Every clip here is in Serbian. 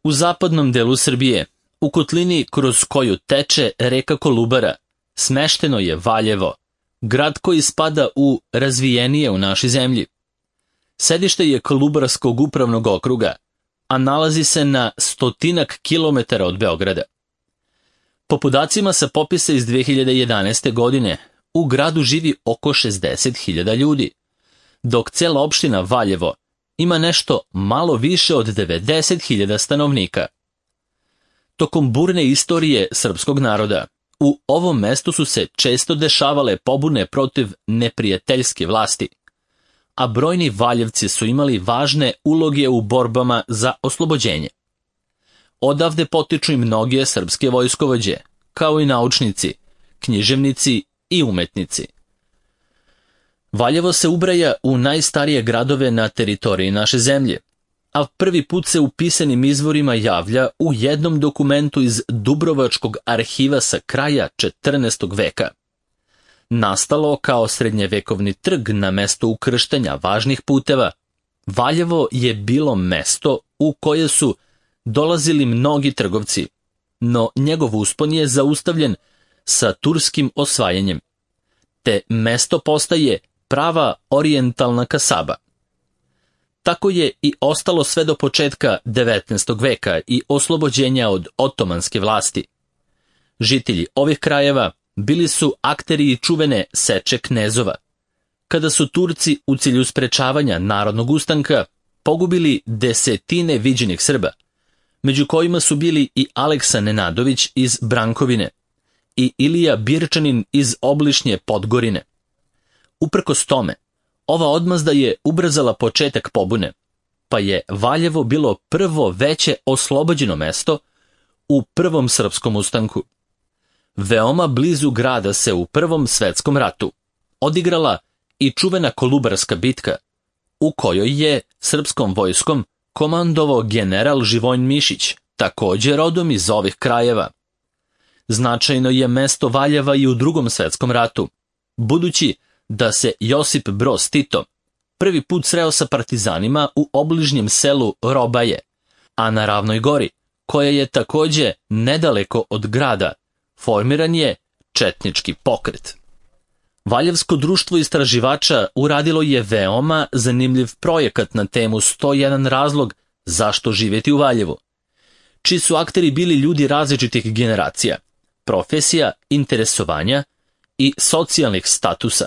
U zapadnom delu Srbije, u kotlini kroz koju teče reka Kolubara, smešteno je Valjevo, grad koji spada u razvijenije u našoj zemlji. Sedište je Kolubarskog upravnog okruga, a nalazi se na 100 kilometara od Beograda. Po podacima sa popisa iz 2011. godine, u gradu živi oko 60.000 ljudi, dok cela opština Valjevo ima nešto malo više od 90.000 stanovnika. Tokom burne istorije srpskog naroda, u ovom mestu su se često dešavale pobune protiv neprijateljske vlasti, a brojni Valjevci su imali važne uloge u borbama za oslobođenje. Odavde potiču i mnoge srpske vojskovođe, kao i naučnici, književnici i umetnici. Valjevo se ubraja u najstarije gradove na teritoriji naše zemlje, a prvi put se u pisanim izvorima javlja u jednom dokumentu iz Dubrovačkog arhiva sa kraja 14. veka. Nastalo kao srednjevekovni trg na mesto ukrštanja važnih puteva, Valjevo je bilo mesto u koje su dolazili mnogi trgovci, no njegov uspon je zaustavljen sa turskim osvajanjem, te mesto postaje prava orijentalna kasaba. Tako je i ostalo sve do početka 19. veka i oslobođenja od otomanske vlasti. Žitelji ovih krajeva bili su akteri i čuvene seče knezova, kada su Turci u cilju sprečavanja narodnog ustanka pogubili desetine viđenih Srba, među kojima su bili i Aleksa Nenadović iz Brankovine i Ilija Birčanin iz obližnje Podgorine. Uprkos tome, ova odmazda je ubrzala početak pobune, pa je Valjevo bilo prvo veće oslobođeno mesto u Prvom srpskom ustanku. Veoma blizu grada se u Prvom svetskom ratu odigrala i čuvena Kolubarska bitka, u kojoj je srpskom vojskom komandovao general Živojin Mišić, također rodom iz ovih krajeva. Značajno je mesto Valjeva i u Drugom svetskom ratu, budući da se Josip Broz Tito prvi put sreo sa partizanima u obližnjem selu Robaje, a na Ravnoj gori, koja je također nedaleko od grada, formiran je četnički pokret. Valjevsko društvo istraživača uradilo je veoma zanimljiv projekat na temu 101 razlog zašto živjeti u Valjevu, čiji su akteri bili ljudi različitih generacija, profesija, interesovanja i socijalnih statusa.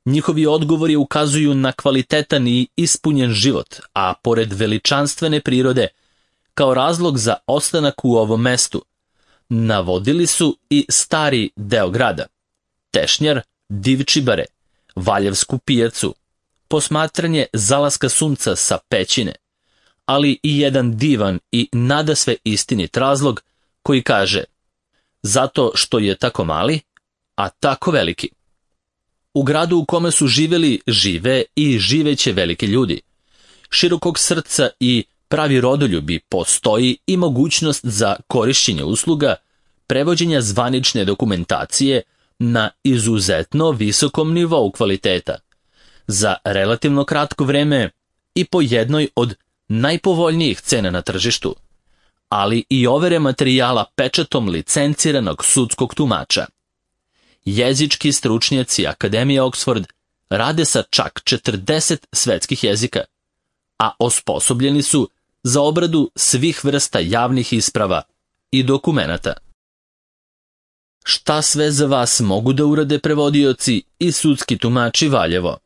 Njihovi odgovori ukazuju na kvalitetan i ispunjen život, a pored veličanstvene prirode, kao razlog za ostanak u ovom mestu, navodili su i stari deo grada, Tešnjar, Divčibare, Valjevsku pijacu, posmatranje zalaska sunca sa pećine, ali i jedan divan i nadasve istinit razlog koji kaže: zato što je tako mali, a tako veliki. U gradu u kome su živjeli, žive i živeće veliki ljudi. Širokog srca i pravi rodoljubi, postoji i mogućnost za korišćenje usluga, prevođenja zvanične dokumentacije na izuzetno visokom nivou kvaliteta, za relativno kratko vreme i po jednoj od najpovoljnijih cena na tržištu, ali i overe materijala pečatom licenciranog sudskog tumača. Jezički stručnjaci Akademije Oxford rade sa čak 40 svetskih jezika, a osposobljeni su za obradu svih vrsta javnih isprava i dokumenata. Šta sve za vas mogu da urade prevodioci i sudski tumači Valjevo?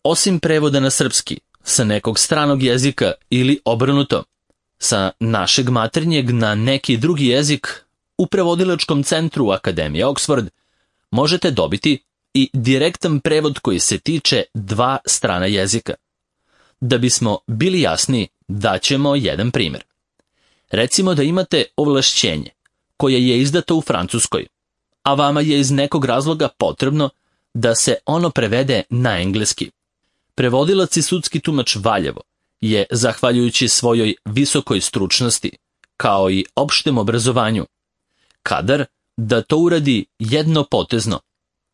Osim prevoda na srpski, sa nekog stranog jezika ili obrnuto, sa našeg maternjeg na neki drugi jezik, u prevodilačkom centru Akademije Oxford možete dobiti i direktan prevod koji se tiče 2 strana jezika. Da bismo bili jasni, daćemo jedan primjer. Recimo da imate ovlašćenje koje je izdato u Francuskoj, a vama je iz nekog razloga potrebno da se ono prevede na engleski. Prevodilac i sudski tumač Valjevo je, zahvaljujući svojoj visokoj stručnosti, kao i opštem obrazovanju, kadar da to uradi jednopotezno,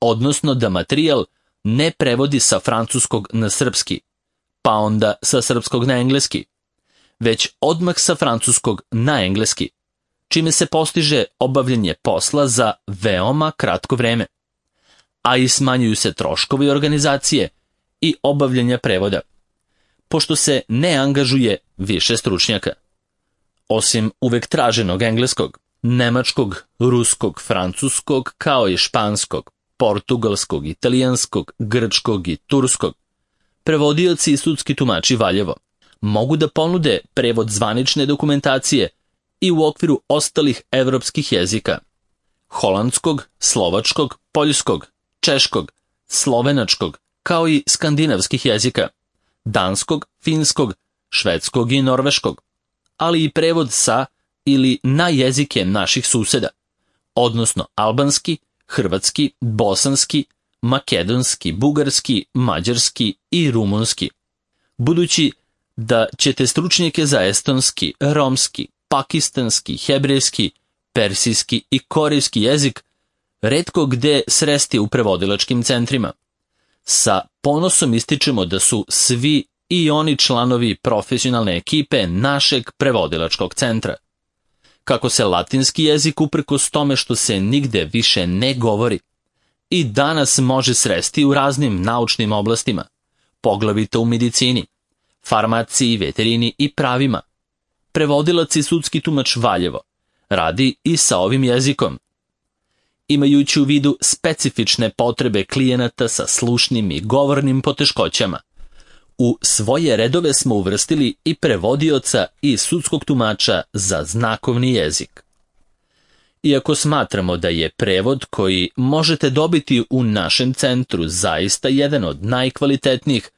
odnosno da materijal ne prevodi sa francuskog na srpski, pa onda sa srpskog na engleski, već odmah sa francuskog na engleski, čime se postiže obavljanje posla za veoma kratko vreme, a i smanjuju se troškovi organizacije i obavljanja prevoda, pošto se ne angažuje više stručnjaka. Osim uvek traženog engleskog, nemačkog, ruskog, francuskog, kao i španskog, portugalskog, italijanskog, grčkog i turskog, prevodioci i sudski tumači Valjevo mogu da ponude prevod zvanične dokumentacije i u okviru ostalih evropskih jezika: holandskog, slovačkog, poljskog, češkog, slovenačkog, kao i skandinavskih jezika, danskog, finskog, švedskog i norveškog, ali i prevod sa ili na jezike naših suseda, odnosno albanski, hrvatski, bosanski, makedonski, bugarski, mađarski i rumunski. Budući da ćete stručnjake za estonski, romski, pakistanski, hebrejski, persijski i korejski jezik retko gde sresti u prevodilačkim centrima. Sa ponosom ističemo da su svi i oni članovi profesionalne ekipe našeg prevodilačkog centra. Kako se latinski jezik, uprkos tome što se nigde više ne govori, i danas može sresti u raznim naučnim oblastima, poglavito u medicini, farmaciji, veterini i pravima. Prevodilac i sudski tumač Valjevo radi i sa ovim jezikom. Imajući u vidu specifične potrebe klijenata sa slušnim i govornim poteškoćama, u svoje redove smo uvrstili i prevodioca i sudskog tumača za znakovni jezik. Iako smatramo da je prevod koji možete dobiti u našem centru zaista jedan od najkvalitetnijih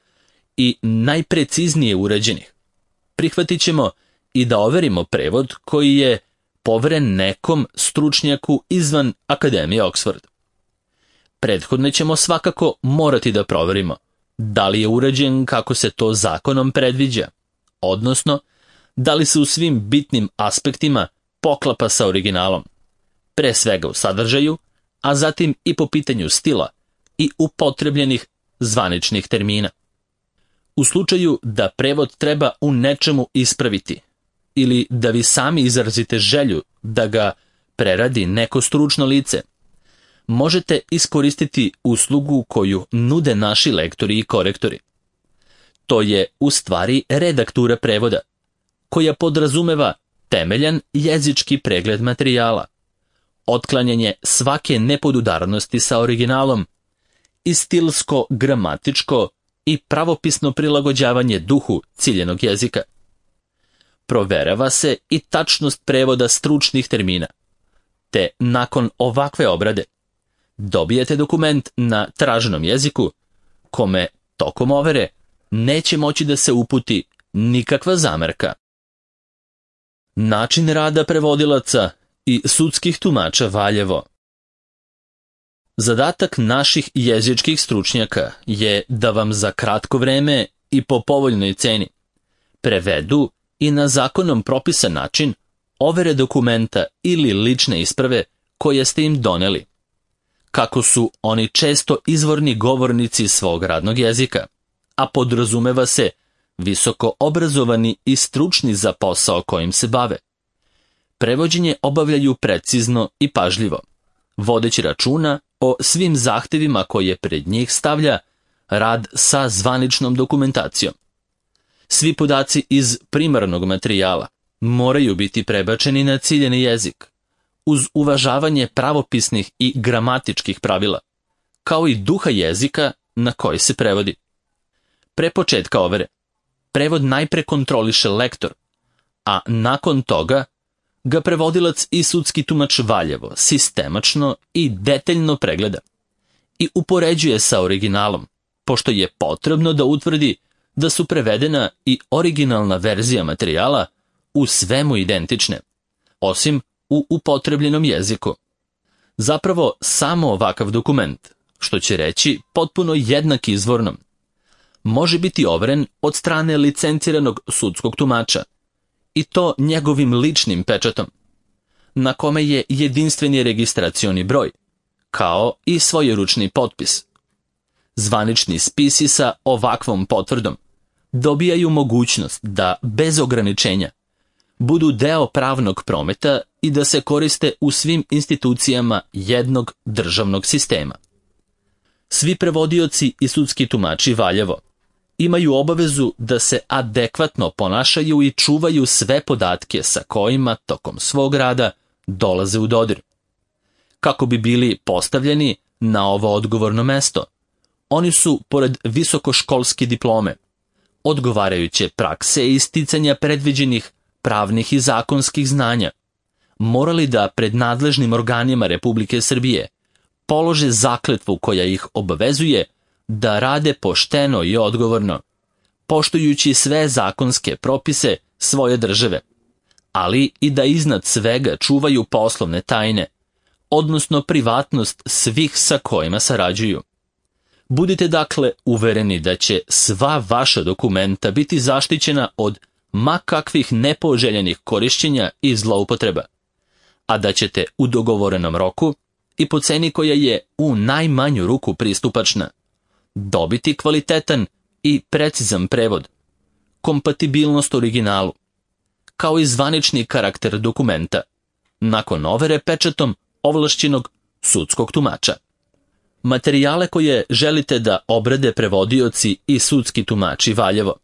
i najpreciznije urađenih, prihvatit ćemo i da overimo prevod koji je poveren nekom stručnjaku izvan Akademije Oxford. Prethodno ćemo svakako morati da proverimo da li je urađen kako se to zakonom predviđa, odnosno da li se u svim bitnim aspektima poklapa sa originalom, pre svega u sadržaju, a zatim i po pitanju stila i upotrebljenih zvaničnih termina. U slučaju da prevod treba u nečemu ispraviti ili da vi sami izrazite želju da ga preradi neko stručno lice, možete iskoristiti uslugu koju nude naši lektori i korektori. To je u stvari redaktura prevoda, koja podrazumeva temeljan jezički pregled materijala, otklanjanje svake nepodudarnosti sa originalom i stilsko, gramatičko i pravopisno prilagođavanje duhu ciljenog jezika. Proverava se i tačnost prevoda stručnih termina, te nakon ovakve obrade dobijete dokument na traženom jeziku kome tokom overe neće moći da se uputi nikakva zamerka. Način rada prevodilaca i sudskih tumača Valjevo. Zadatak naših jezičkih stručnjaka je da vam za kratko vreme i po povoljnoj ceni prevedu i na zakonom propisan način overe dokumenta ili lične isprave koje ste im doneli. Kako su oni često izvorni govornici svog radnog jezika, a podrazumeva se visoko obrazovani i stručni za posao kojim se bave. Prevođenje obavljaju precizno i pažljivo, vodeći računa o svim zahtevima koje pred njih stavlja rad sa zvaničnom dokumentacijom. Svi podaci iz primarnog materijala moraju biti prebačeni na ciljeni jezik, uz uvažavanje pravopisnih i gramatičkih pravila, kao i duha jezika na koji se prevodi. Pre početka overe, prevod najpre kontroliše lektor, a nakon toga ga prevodilac i sudski tumač Valjevo sistemačno i detaljno pregleda i upoređuje sa originalom, pošto je potrebno da utvrdi da su prevedena i originalna verzija materijala u svemu identične, osim u upotrebljenom jeziku. Zapravo, samo ovakav dokument, što će reći potpuno jednak izvornom, može biti overen od strane licenciranog sudskog tumača, i to njegovim ličnim pečatom, na kome je jedinstveni registracioni broj, kao i svojeručni potpis. Zvanični spisi sa ovakvom potvrdom dobijaju mogućnost da bez ograničenja budu deo pravnog prometa i da se koriste u svim institucijama jednog državnog sistema. Svi prevodioci i sudski tumači Valjevo imaju obavezu da se adekvatno ponašaju i čuvaju sve podatke sa kojima tokom svog rada dolaze u dodir. Kako bi bili postavljeni na ovo odgovorno mesto, oni su, pored visokoškolske diplome, odgovarajuće prakse i sticanja predviđenih pravnih i zakonskih znanja, morali da pred nadležnim organima Republike Srbije polože zakletvu koja ih obavezuje da rade pošteno i odgovorno, poštujući sve zakonske propise svoje države, ali i da iznad svega čuvaju poslovne tajne, odnosno privatnost svih sa kojima sarađuju. Budite dakle uvereni da će sva vaša dokumenta biti zaštićena od ma kakvih nepoželjenih korišćenja i zloupotreba, a da ćete u dogovorenom roku i po ceni koja je u najmanju ruku pristupačna dobiti kvalitetan i precizan prevod, kompatibilnost originalu, kao i zvanični karakter dokumenta, nakon overe pečatom ovlašćenog sudskog tumača. Materijale koje želite da obrade prevodioci i sudski tumači Valjevo,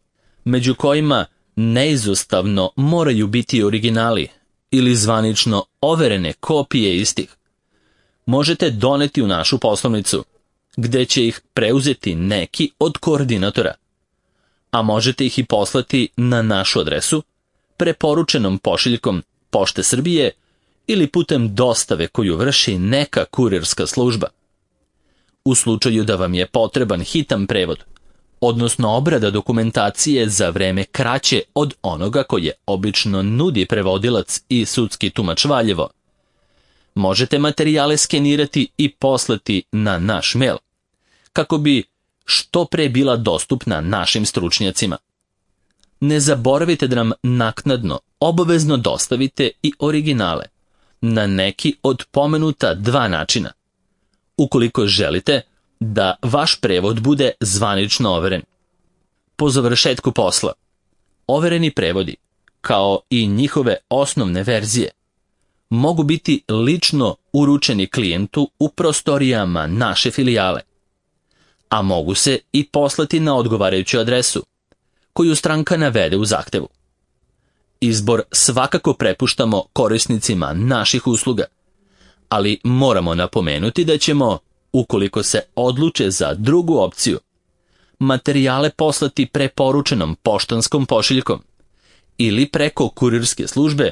među kojima neizostavno moraju biti originali ili zvanično overene kopije istih, možete doneti u našu poslovnicu, gde će ih preuzeti neki od koordinatora, a možete ih i poslati na našu adresu, preporučenom pošiljkom Pošte Srbije ili putem dostave koju vrši neka kurirska služba. U slučaju da vam je potreban hitan prevod, odnosno obrada dokumentacije za vreme kraće od onoga koje obično nudi prevodilac i sudski tumač Valjevo, možete materijale skenirati i poslati na naš mail, kako bi što pre bila dostupna našim stručnjacima. Ne zaboravite da nam naknadno obavezno dostavite i originale na neki od pomenuta dva načina, ukoliko želite da vaš prevod bude zvanično overen. Po završetku posla, overeni prevodi, kao i njihove osnovne verzije, mogu biti lično uručeni klijentu u prostorijama naše filijale, a mogu se i poslati na odgovarajuću adresu, koju stranka navede u zahtevu. Izbor svakako prepuštamo korisnicima naših usluga, ali moramo napomenuti da ćemo, ukoliko se odluče za drugu opciju, materijale poslati preporučenom poštanskom pošiljkom ili preko kurirske službe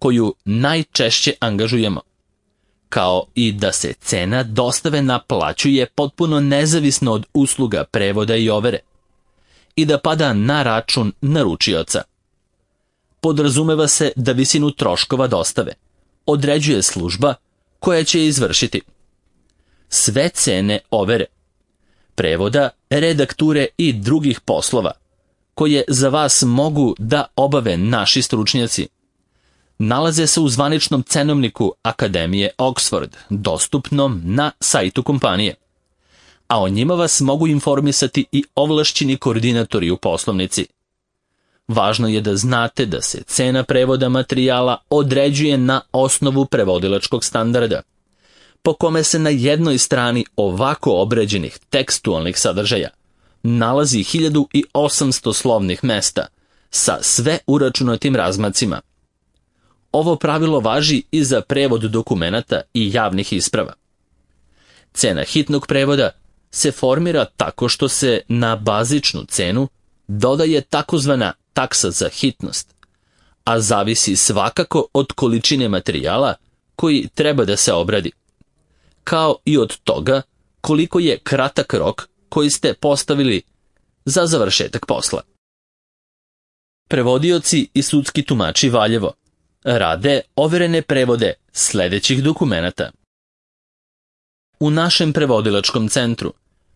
koju najčešće angažujemo, kao i da se cena dostave naplaćuje potpuno nezavisno od usluga prevoda i overe i da pada na račun naručioca. Podrazumeva se da visinu troškova dostave određuje služba koja će je izvršiti. Sve cene overe, prevoda, redakture i drugih poslova, koje za vas mogu da obave naši stručnjaci, nalaze se u zvaničnom cenovniku Akademije Oxford, dostupnom na sajtu kompanije, a o njima vas mogu informisati i ovlašćeni koordinatori u poslovnici. Važno je da znate da se cena prevoda materijala određuje na osnovu prevodilačkog standarda, po kome se na jednoj strani ovako obrađenih tekstualnih sadržaja nalazi 1800 slovnih mesta sa sve uračunatim razmacima. Ovo pravilo važi i za prevod dokumenata i javnih isprava. Cena hitnog prevoda se formira tako što se na bazičnu cenu dodaje takozvana taksa za hitnost, a zavisi svakako od količine materijala koji treba da se obradi, kao i od toga koliko je kratak rok koji ste postavili za završetak posla. Prevodioci i sudski tumači Valjevo rade overene prevode sledećih dokumenata. U našem prevodilačkom centru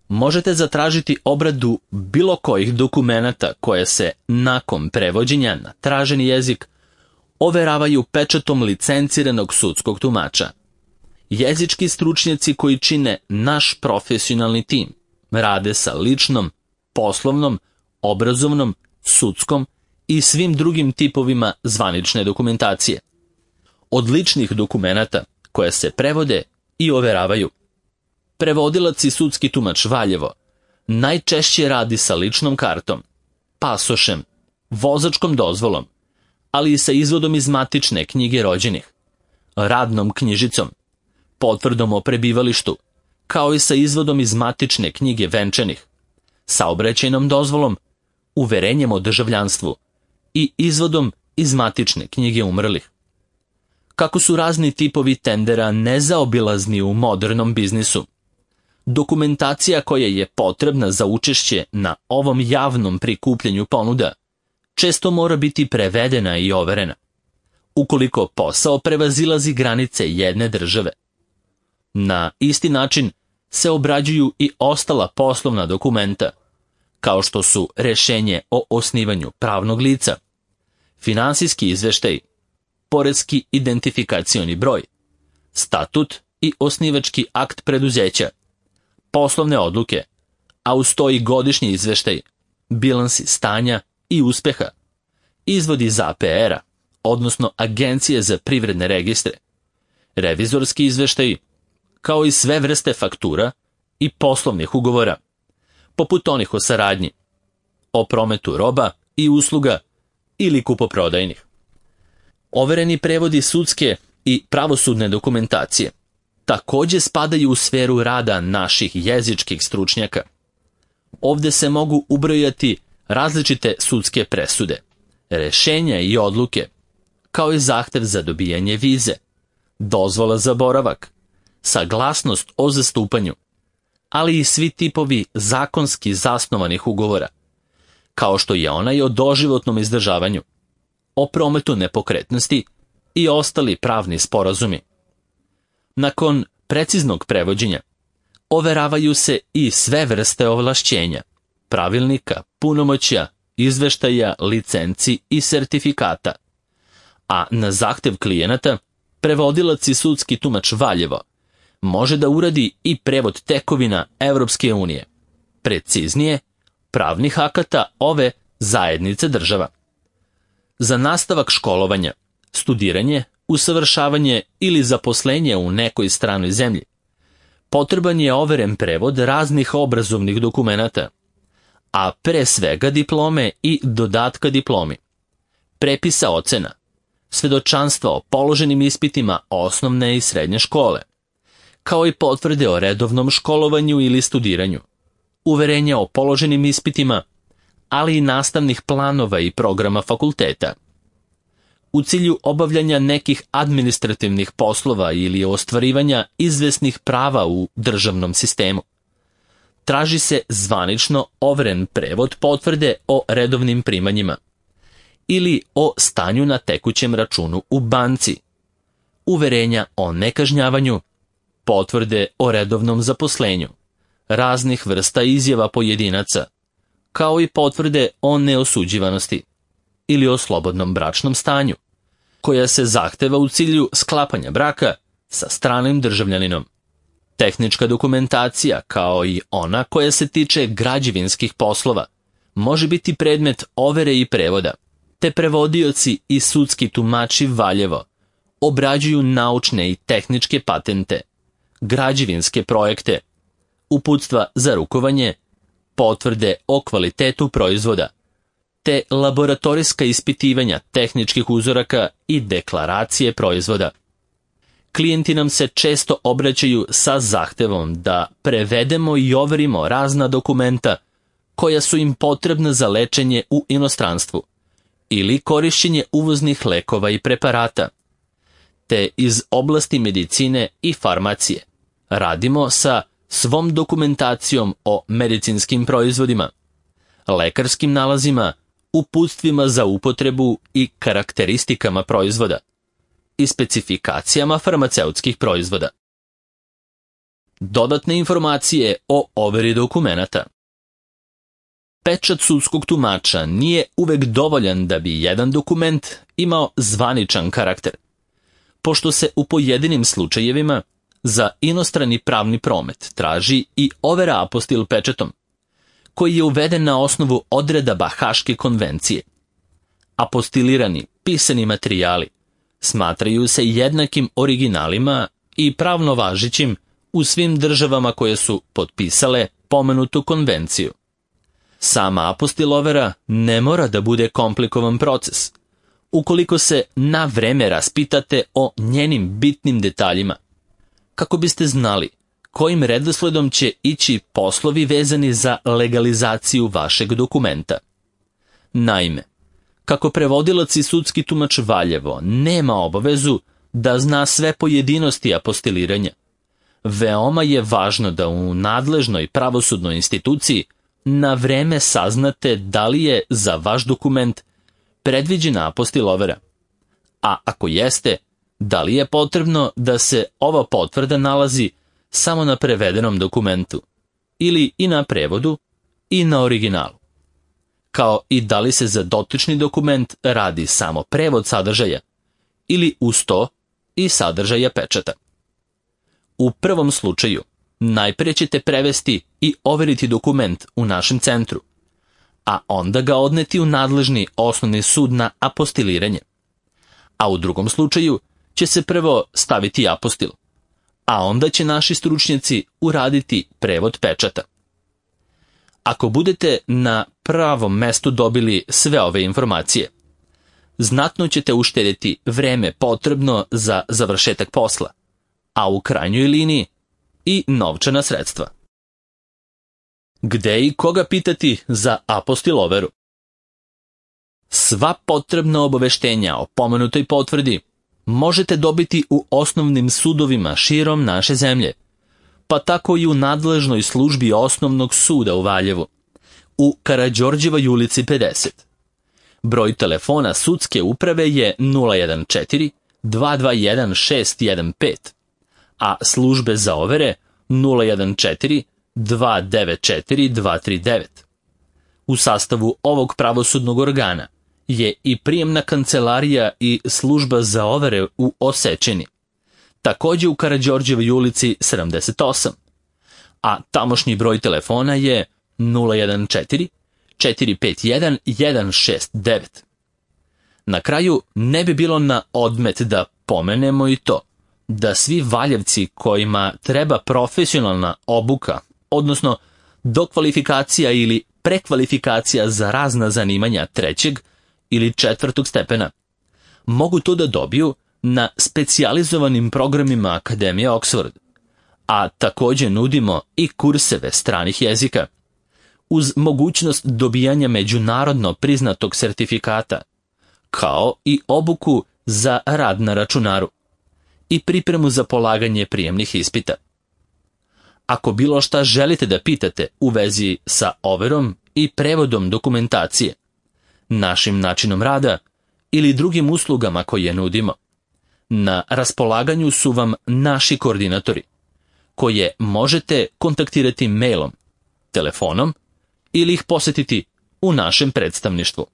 možete zatražiti obradu bilo kojih dokumenata koje se nakon prevođenja na traženi jezik overavaju pečatom licenciranog sudskog tumača. Jezički stručnjaci koji čine naš profesionalni tim rade sa ličnom, poslovnom, obrazovnom, sudskom i svim drugim tipovima zvanične dokumentacije. Od ličnih dokumenata koje se prevode i overavaju. Prevodilac i sudski tumač Valjevo najčešće radi sa ličnom kartom, pasošem, vozačkom dozvolom, ali i sa izvodom iz matične knjige rođenih, radnom knjižicom, potvrdom o prebivalištu, kao i sa izvodom iz matične knjige venčanih, saobraćajnom dozvolom, uverenjem o državljanstvu i izvodom iz matične knjige umrlih. Kako su razni tipovi tendera nezaobilazni u modernom biznisu, dokumentacija koja je potrebna za učešće na ovom javnom prikupljanju ponuda često mora biti prevedena i overena, ukoliko posao prevazilazi granice jedne države. Na isti način se obrađuju i ostala poslovna dokumenta, kao što su rešenje o osnivanju pravnog lica, finansijski izveštaj, poreski identifikacioni broj, statut i osnivački akt preduzeća, poslovne odluke, a uz to i godišnji izveštaj, bilansi stanja i uspeha, izvodi iz APR-a, odnosno Agencije za privredne registre, revizorski izveštaj, kao i sve vrste faktura i poslovnih ugovora, poput onih o saradnji, o prometu roba i usluga ili kupoprodajnih. Overeni prevodi sudske i pravosudne dokumentacije također spadaju u sferu rada naših jezičkih stručnjaka. Ovdje se mogu ubrojati različite sudske presude, rešenja i odluke, kao i zahtev za dobijanje vize, dozvola za boravak, saglasnost o zastupanju, ali i svi tipovi zakonski zasnovanih ugovora, kao što je onaj o doživotnom izdržavanju, o prometu nepokretnosti i ostali pravni sporazumi. Nakon preciznog prevođenja, overavaju se i sve vrste ovlašćenja, pravilnika, punomoćja, izveštaja, licenci i sertifikata, a na zahtev klijenata, prevodilac i sudski tumač Valjevo može da uradi i prevod tekovina Evropske unije, preciznije, pravnih akata ove zajednice država. Za nastavak školovanja, studiranje, usavršavanje ili zaposlenje u nekoj stranoj zemlji, potreban je overen prevod raznih obrazovnih dokumenata, a pre svega diplome i dodatka diplomi, prepisa ocena, svedočanstva o položenim ispitima osnovne i srednje škole, kao i potvrde o redovnom školovanju ili studiranju, uverenja o položenim ispitima, ali i nastavnih planova i programa fakulteta. U cilju obavljanja nekih administrativnih poslova ili ostvarivanja izvesnih prava u državnom sistemu, traži se zvanično overen prevod potvrde o redovnim primanjima ili o stanju na tekućem računu u banci, uverenja o nekažnjavanju, potvrde o redovnom zaposlenju, raznih vrsta izjava pojedinaca, kao i potvrde o neosuđivanosti ili o slobodnom bračnom stanju, koja se zahteva u cilju sklapanja braka sa stranim državljaninom. Tehnička dokumentacija, kao i ona koja se tiče građevinskih poslova, može biti predmet overe i prevoda, te prevodioci i sudski tumači Valjevo obrađuju naučne i tehničke patente, građevinske projekte, uputstva za rukovanje, potvrde o kvalitetu proizvoda, te laboratorijska ispitivanja tehničkih uzoraka i deklaracije proizvoda. Klijenti nam se često obraćaju sa zahtevom da prevedemo i overimo razna dokumenta koja su im potrebna za lečenje u inostranstvu ili korišćenje uvoznih lekova i preparata, te iz oblasti medicine i farmacije radimo sa svom dokumentacijom o medicinskim proizvodima, lekarskim nalazima, uputstvima za upotrebu i karakteristikama proizvoda i specifikacijama farmaceutskih proizvoda. Dodatne informacije o overi dokumenata. Pečat sudskog tumača nije uvek dovoljan da bi jedan dokument imao zvaničan karakter, pošto se u pojedinim slučajevima za inostrani pravni promet traži i overa apostil pečatom, koji je uveden na osnovu odredaba Haške konvencije. Apostilirani pisani materijali smatraju se jednakim originalima i pravno važećim u svim državama koje su potpisale pomenutu konvenciju. Sama apostilovera ne mora da bude komplikovan proces, ukoliko se na vreme raspitate o njenim bitnim detaljima, kako biste znali kojim redosledom će ići poslovi vezani za legalizaciju vašeg dokumenta. Naime, kako prevodilac i sudski tumač Valjevo nema obavezu da zna sve pojedinosti apostiliranja, veoma je važno da u nadležnoj pravosudnoj instituciji na vreme saznate da li je za vaš dokument predviđena apostilovera, a ako jeste, da li je potrebno da se ova potvrda nalazi samo na prevedenom dokumentu, ili i na prevodu i na originalu, kao i da li se za dotični dokument radi samo prevod sadržaja, ili uz to i sadržaja pečata. U prvom slučaju, najprije ćete prevesti i overiti dokument u našem centru, a onda ga odneti u nadležni osnovni sud na apostiliranje. A u drugom slučaju će se prvo staviti apostil, a onda će naši stručnjaci uraditi prevod pečata. Ako budete na pravom mestu dobili sve ove informacije, znatno ćete uštedjeti vreme potrebno za završetak posla, a u krajnjoj liniji i novčana sredstva. Gde i koga pitati za apostiloveru? Sva potrebna obaveštenja o pomenutoj potvrdi možete dobiti u osnovnim sudovima širom naše zemlje, pa tako i u nadležnoj službi osnovnog suda u Valjevu, u Karađorđevoj ulici 50. Broj telefona sudske uprave je 014 221 615, a službe za overe 014 294 239. U sastavu ovog pravosudnog organa je i prijemna kancelarija i služba za overe u Osečini, također u Karađorđevoj ulici 78, a tamošnji broj telefona je 014 451 169. Na kraju ne bi bilo na odmet da pomenemo i to da svi Valjevci kojima treba profesionalna obuka, odnosno dokvalifikacija ili prekvalifikacija za razna zanimanja 3. ili 4. stepena, mogu to da dobiju na specijalizovanim programima Akademije Oxford, a također nudimo i kurseve stranih jezika, uz mogućnost dobijanja međunarodno priznatog sertifikata, kao i obuku za rad na računaru i pripremu za polaganje prijemnih ispita. Ako bilo šta želite da pitate u vezi sa overom i prevodom dokumentacije, našim načinom rada ili drugim uslugama koje nudimo, na raspolaganju su vam naši koordinatori, koje možete kontaktirati mailom, telefonom ili ih posetiti u našem predstavništvu.